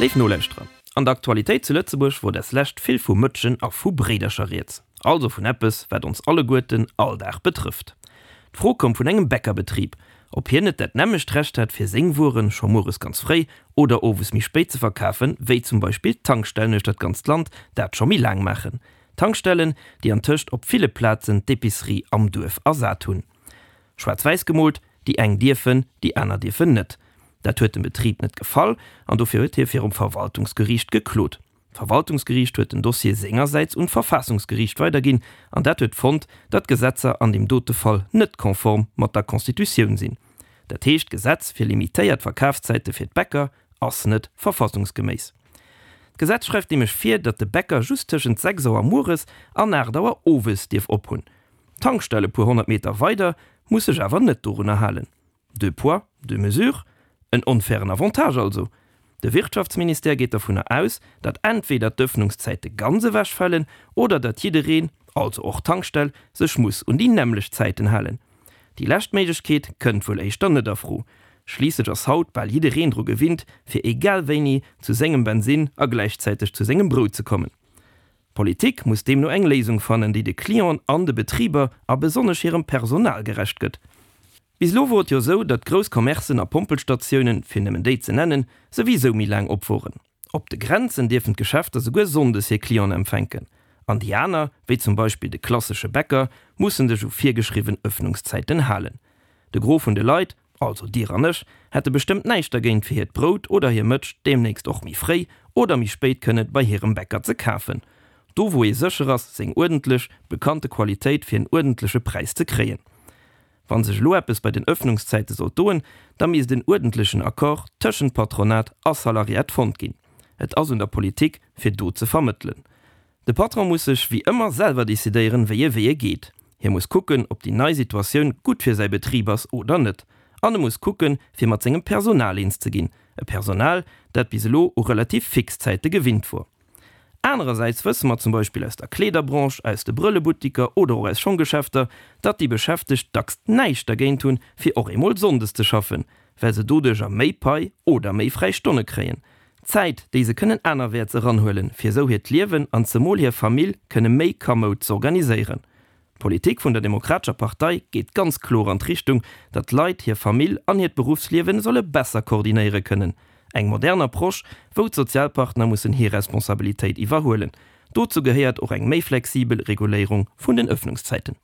Léif Nolauschterer, an der Aktualitéit zu Lëtzebuerg wor des Lescht vill vu Mëtschen a vu Bréidercher rieds. Also vun eppes, wat ons alleguerten all Dag betrëfft. D'Fro koum vun engem Bäckerbetrib, ob hien net dat nämmlecht Recht hätt, fir seng Wueren scho mueres ganz fréi oder owes méi spéit ze verkafen, wéi zum Beispill d'Tankstellen uechter d'ganzt Land dat scho méi laang maachen. Tankstellen, déi antëscht op ville Plazen d'Epicerie am Duerf ersat hunn. Schwaarz-wäiss gemoolt, déi eng dierfen, déi aner dierfen net. Dat huet dem Betrib net gefall an dofir huet hie virum Verwaltungsgeriicht geklot. D'Verwaltungsgeriicht huet den Dossier sengersäits un d'Verfaassungsgeriicht weiderginn an dat huet fonnt, datt d'Gesetzer an deem dote Fall net konform mat der Constitutioun sinn. Dat heescht, d'Gesetz fir limitéiert Verkafszäite fir d'Bäcker ass net verfassungsgeméiss. D'Gesetz schreift nämlech vir, datt de Bäcker just tëschent 6 Auer mueres an 8 Auer owes dierf ophunn. D'Tankstell e puer 100 Meter weider muss sech awer net dorunner halen. Deux poids, deux mesures? En onfairen Avantage also. De Wirtschaftsministère geet dovunner aus, datt entweder d'Ëffnungszäite ganz ewechfalen oder datt jiddereen, also och d'Tankstell, sech muss un déi nämmlecht Zäiten halen. Déi lescht Méiglechkeet kënnt wuel éischter net a Fro. Schliisslech ass haut bal jiddereen dru gewinnt, fir egal wéini zu sengem Bensinn a gläichzäiteg zu sengem Brout ze kommen. D'Politik muss deemno eng Léisung fannen, déi de Clienten an de Betriber a besonnesch hirem Personal gerecht gëtt. Bis elo wor et jo sou, datt grouss Commercen a Pompelstatiounen, fir nëmmen déi ze nennen, souwisou méi laang op woren. Op de Grenzen dierfen d'Geschäfter souguer sonndes hir Clienten empfänken. An déi aner, wéi zum Beispill de klassesche Bäcker, mussen sech u virgeschriwwen Ëffnungszäiten halen. De Gros vun de Leit, also dir an ech, hätte bestëmmt näischt dergéint fir hiert Brout oder hir Mëtsch deemnächst och méi fréi oder méi spéit kënne bei hirem Bäcker ze kafen. Do wou ee sécher ass, seng uerdentlech, bekannte Qualitéit fir en uerdentleche Präis ze kréien. Wann sech elo eppes bei den Ëffnungszäite sollt doen, da misst en uerdentlechen Accord tëschent Patronat a Salariat fonnt ginn. Et ass un der Politik, fir do ze vermëttelen. De Patron muss sech wéi ëmmer selwer decidéieren, wéi e Wee e geet. Hie muss kucken, ob déi nei Situatioun gutt fir säi Betrib ass oder net. An e muss kucken, fir mat sengem Personal eens ze ginn, e Personal, dat bis elo u relativ fix Zäite gewinnt wor. Anerersäits wësse mer zum Beispill aus der Kleederbranche, aus de Brëllebuttiker oder och aus Schonggeschäfter, datt déi Beschäftegt dacks näischt dergéint hunn, fir och eemol sonndes ze schaffen, well se doduercher méi Pai oder méi fräi Stonne kréien. Zäit, déi se kënnen anerwäerts eranhuelen, fir esou hiert Liewen an zemol hir Famill kënne méi kamoud z'organiséieren. D'Politik vun der Demokratescher Partei geet ganz kloer an d'Richtung, datt d'Leit hir Famill an hiert Beruffsliewen solle besser koordinéiere kënnen. Eng modern Approche, wou d'Sozialpartner mussen hir Responsabilitéit iwwerhuelen. Dozou gehéiert och eng méi flexibel Reguléierung vun den Ëffnungszäiten.